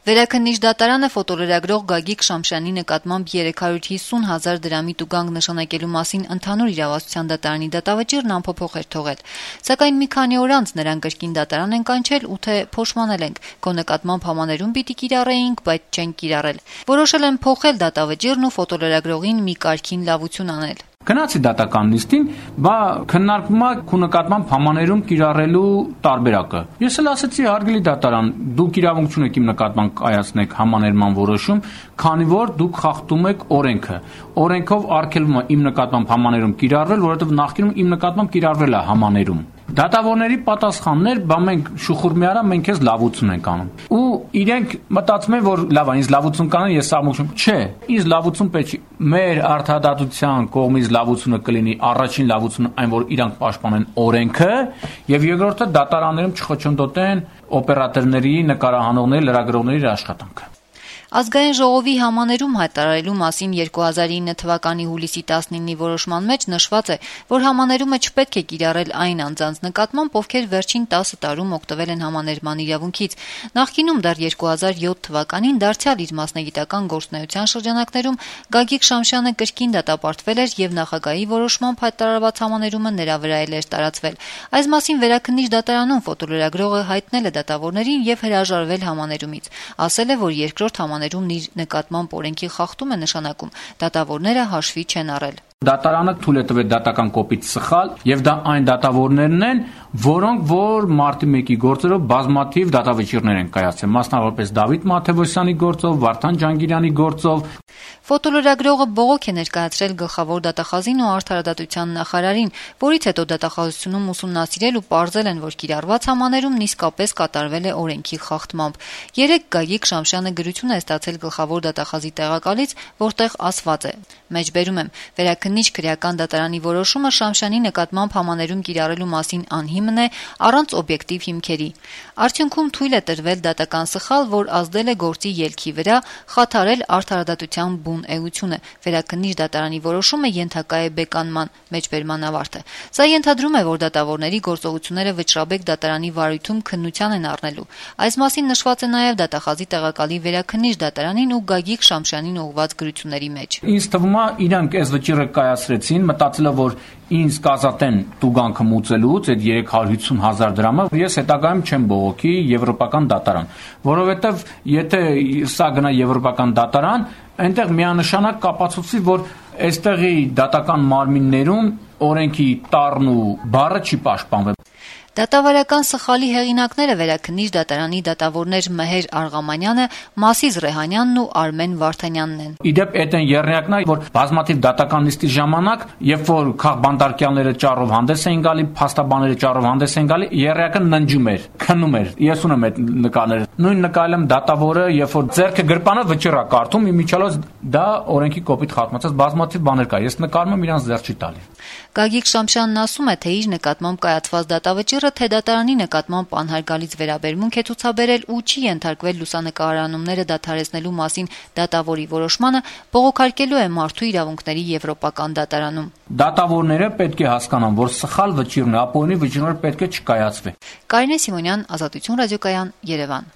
Վերաքննիչ դատարանը ֆոտոլրագրող Գագիկ Շամշյանի նկատմամբ 350,000 դրամի տուգանք նշանակելու մասին ընդհանուր իրավասության դատարանի դատավճիռն անփոփոխ էր թողել, սակայն մի քանի օր անց նրան կրկին դատարան են կանչել ու թե փոշմանել ենք, քո նկատմամբ համաներում պիտի կիրառեինք, բայց չենք կիրառել։ Որոշել են փոխել դատավճիռն ու ֆոտոլրագրողին մի կարգին լավություն անել։ Գնացի դատական նիստին, բա քննարկվում է քո նկատմամբ համաներում կիրառելու տարբերակը։ Ես էլ ասացի հարգելի դատարան, դուք իրավունք չունեք իմ նկատմամբ կայացնեք համաներման որոշում, քանի որ դուք խախտում եք օրենքը։ Օրենքով արգելվում է իմ նկատմամբ համաներում կիրառվել, որովհետև նախկինում իմ նկատմամբ կիրառվել է համաներում։ Դատավորների պատասխաններ, բա մենք շուխուր մի արա, մենք քեզ լավություն ենք անում։ Ու իրենք մտածում են, որ լավ է, ինձ լավություն կանեն, ես սաղմուկ չեմ։ Չէ, ինձ լավություն պետք չի։ Մեր արդարադատության կողմից լավությունը կլինի առաջին լավությունը այն, որ իրանք պաշտպանեն օրենքը, եւ երկրորդը դատարաններում չխոչընդոտեն օպերատորների, նկարահանողների, լրագրողների աշխատանքը։ Ազգային ժողովի համաներում հայտարարելու մասին 2009 թվականի հուլիսի 19-ի որոշման մեջ նշված է, որ համաներումը չպետք է կիրառել այն անձանց նկատմամբ, ովքեր վերջին 10 տարում օգտվել են համաներման իրավունքից։ Նախկինում դեռ 2007 թվականին դարձյալ իր մասնագիտական գործունեության շրջանակներում Գագիկ Շամշյանը կրկին դատապարտվել էր եւ նախագահի որոշմամբ հայտարարված համաներումը նրա վրա էլ էր տարածվել։ Այս մասին վերաքննիչ դատարանում ֆոտոլրագրողը հայտնել է դատավորներին եւ հրաժարվել համաներումից։ Ասել է, որ երկրորդ համաներումն իր նկատմամբ օրենքի խախտում է նշանակում, դատավորները հաշվի չեն առել։ Դատարանը թույլ է տվել դատական կոպիտ սխալ եւ դա այն դատավորներն են, որոնք որ մարտի 1-ի գործերով բազմաթիվ դատավճիռներ են կայացրել, մասնավորապես Դավիթ Մաթևոսյանի գործով, Վարդան Ջանգիրյանի գործով։ Ֆոտոլրագրողը բողոք է ներկայացրել գլխավոր դատախազին ու արդարադատության նախարարին, որից հետո դատախազությունում ուսումնասիրել ու պարզել են, որ կիրառված համաներումն իսկապես կատարվել է օրենքի խախտմամբ։ Երեկ Գագիկ Շամշյանը գրություն է ստացել գլխավոր դատախազի տեղակալից, որտեղ ասված է. Մեջբերում եմ, վերաքննիչ քրեական դատարանի որոշումը Շամշյանի նկատմամբ համաներում կիրառելու մասին անհիմն է առանց օբյեկտիվ հիմքերի։ Արդյունքում թույլ է տրվել դատական սխալ, որ ազդել է գործի ելքի վրա, խաթարել արդարադատության բուն էությունը։ Վերաքննիչ դատարանի որոշումը ենթակա է բեկանման, մեջբերման ավարտը։ Սա ենթադրում է, որ դատավորների գործողությունները վճռաբեկ դատարանի վարույթում քննության են առնելու։ Այս մասին նշված է նաև դատախազի տեղակալի վերաքննիչ դատարանին ու Գագիկ Շամշյանին ուղղված գրությունների մեջ։ Ինձ թվում է իրանք այս վճիռը կայացրեցին, մտածելով որ ինձ կազատեն տուգանքը մուծելուց այդ 350,000 դրամը, ես հետագայում չեմ բողոքի եվրոպական դատարան, որովհետև եթե սա գնա եվրոպական դատարան, այնտեղ միանշանակ կապացուցի, որ այստեղի դատական մարմիններում օրենքի տառն ու բառը չի պաշտպանվել։ Դատավարական սխալի հեղինակները վերաքննիչ դատարանի դատավորներ Մեհեր Արգամանյանը, Մասիզ Ռեհանյանն ու Արմեն Վարդանյանն են։ Իդեպ այդ են եռնյակն է, որ բազմաթիվ դատական նիստի ժամանակ, երբ որ քաղբանդարկյալները ճառով հանդես էին գալի, փաստաբանները ճառով հանդես էին գալի, եռյակը ննջում էր, քնում էր։ Ես ունեմ այդ նկարները։ Նույն նկարել եմ դատավորը, երբ որ ձեռքը գրպանը վճիռ է կարդում, իմիջիալոց դա օրենքի կոպիտ խախտումից բազմաթիվ բաներ կա։ Ես նկարում եմ իրանց ձեռ չի տալի։ Գագիկ Շամշյանն ասում է, թե իր նկատմամբ կայացված դատավճիռը թե դատարանի նկատմամբ անհարգալից վերաբերմունք է ցուցաբերել ու չի ենթարկվել լուսանկարահանումները դադարեցնելու մասին դատավորի որոշմանը, բողոքարկելու է մարդու իրավունքների եվրոպական դատարանում։ Դատավորները պետք է հասկանան, որ սխալ վճիռն է, ապօրինի վճիռները պետք է չկայացվի։ Կարինե Սիմոնյան, Ազատություն ռադիոկայան, Երևան։